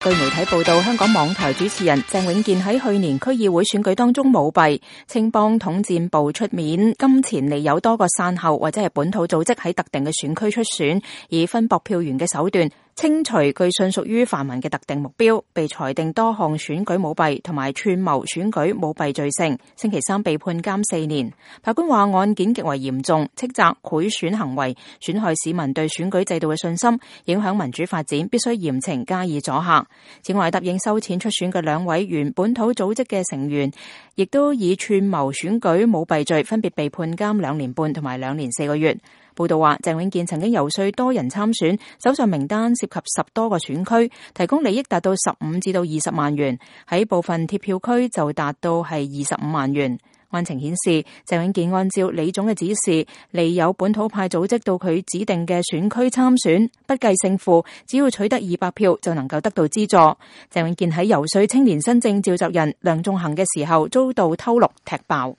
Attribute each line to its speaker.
Speaker 1: 據媒體報道，香港網台主持人鄭永健喺去年區議會選舉當中舞弊，青幫統戰部出面金錢利誘多個散後或者係本土組織喺特定嘅選區出選，以分薄票源嘅手段清除據信屬於泛民嘅特定目標，被裁定多項選舉舞弊同埋串謀選舉舞弊罪成，星期三被判監4年。法官話案件極為嚴重，斥責賄選行為損害市民對選舉制度嘅信心，影響民主發展，必須嚴懲加以阻嚇。此外，答應收錢出選嘅2位原本土組織嘅成員，亦都以串謀選舉舞弊罪分別被判監2年半同埋2年4個月。報道話，鄭永健曾經遊說多人參選，手上名單涉及10多個選區，提供利益達到15至到20萬元，喺部分貼票區就達到係25萬元。案情顯示，鄭永健按照李總嘅指示，利誘本土派組織到佢指定嘅選區參選，不計勝負，只要取得200票就能夠得到資助。鄭永健喺遊說青年新政召集人梁頌恆嘅時候，遭到偷錄踢爆。